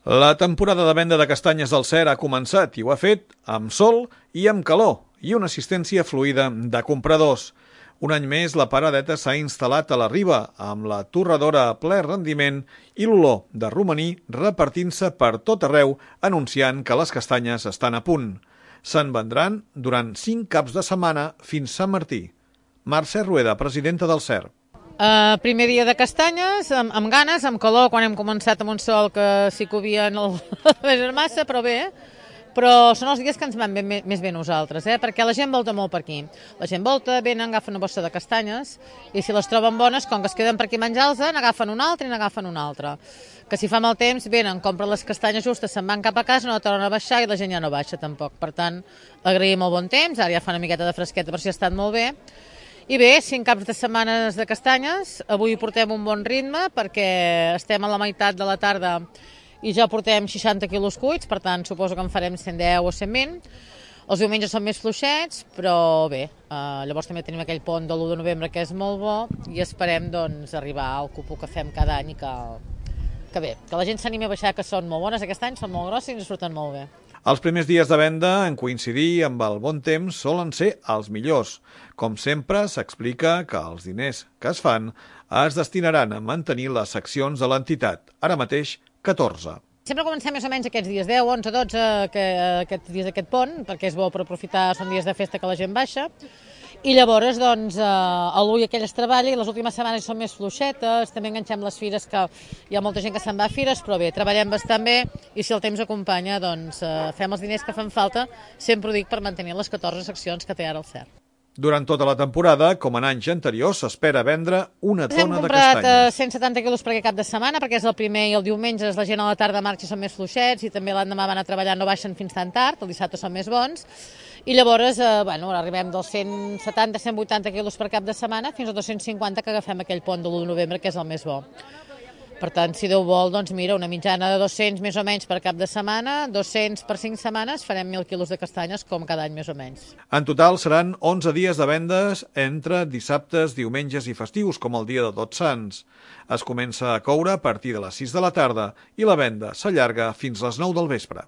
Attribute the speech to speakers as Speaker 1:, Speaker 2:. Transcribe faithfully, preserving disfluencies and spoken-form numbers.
Speaker 1: La temporada de venda de castanyes del Cer ha començat i ho ha fet amb sol i amb calor i una assistència fluida de compradors. Un any més, la paradeta s'ha instal·lat a la riba amb la torradora a ple rendiment i l'olor de romaní repartint-se per tot arreu, anunciant que les castanyes estan a punt. Se'n vendran durant cinc caps de setmana fins Sant Martí. Mercè Rueda, presidenta del Cer.
Speaker 2: Uh, primer dia de castanyes, amb, amb ganes, amb calor, quan hem començat amb un sol que sí que ho havia en el massa, però bé, però són els dies que ens van bé, més bé nosaltres, eh? Perquè la gent volta molt per aquí. La gent volta, venen, agafen una bossa de castanyes i si les troben bones, com que es queden per aquí a menjar-los, n'agafen una altra i n'agafen una altra. Que si fa mal temps, venen, compren les castanyes justes, se'n van cap a casa, no tornen a baixar i la gent ja no baixa tampoc. Per tant, agraïm el bon temps, ara ja fa una miqueta de fresqueta per si ha estat molt bé. I bé, cinc caps de setmanes de castanyes, avui portem un bon ritme perquè estem a la meitat de la tarda i ja portem seixanta quilos cuits, per tant suposo que en farem cent deu o cent vint. Els diumenges són més fluixets, però bé, eh, llavors també tenim aquell pont de l'u de novembre que és molt bo i esperem doncs, arribar al cupo que fem cada any i que, que bé, que la gent s'animi a baixar, que són molt bones aquest any, són molt grosses i ens surten molt bé.
Speaker 1: Els primers dies de venda, en coincidir amb el bon temps, solen ser els millors. Com sempre, s'explica que els diners que es fan es destinaran a mantenir les seccions de l'entitat, ara mateix catorze.
Speaker 2: Sempre comencem més o menys aquests dies deu, onze, dotze, que, aquests dies d'aquest pont, perquè és bo per aprofitar, són dies de festa que la gent baixa. I llavors, doncs, a l'u i aquell es treballa i les últimes setmanes són més fluixetes, també enganxem les fires, que hi ha molta gent que se'n va a fires, però bé, treballem bastant bé i si el temps acompanya, doncs, fem els diners que fan falta, sempre ho dic, per mantenir les catorze seccions que té ara el Cer.
Speaker 1: Durant tota la temporada, com en anys anteriors, s'espera vendre una tona de castanyes.
Speaker 2: Hem comprat cent setanta quilos per aquest cap de setmana, perquè és el primer i el diumenge la gent a la tarda marxa i són més fluixets i també l'endemà van a treballar, no baixen fins tan tard, el dissabte són més bons. I llavors, eh, bueno, arribem dels cent setanta a cent vuitanta quilos per cap de setmana fins a dos-cents cinquanta que agafem aquell pont de l'u de novembre, que és el més bo. Per tant, si Déu vol, doncs mira, una mitjana de dos-cents més o menys per cap de setmana, dos-cents per cinc setmanes, farem mil quilos de castanyes com cada any més o menys.
Speaker 1: En total seran onze dies de vendes entre dissabtes, diumenges i festius, com el dia de Tots Sants. Es comença a coure a partir de les sis de la tarda i la venda s'allarga fins les nou del vespre.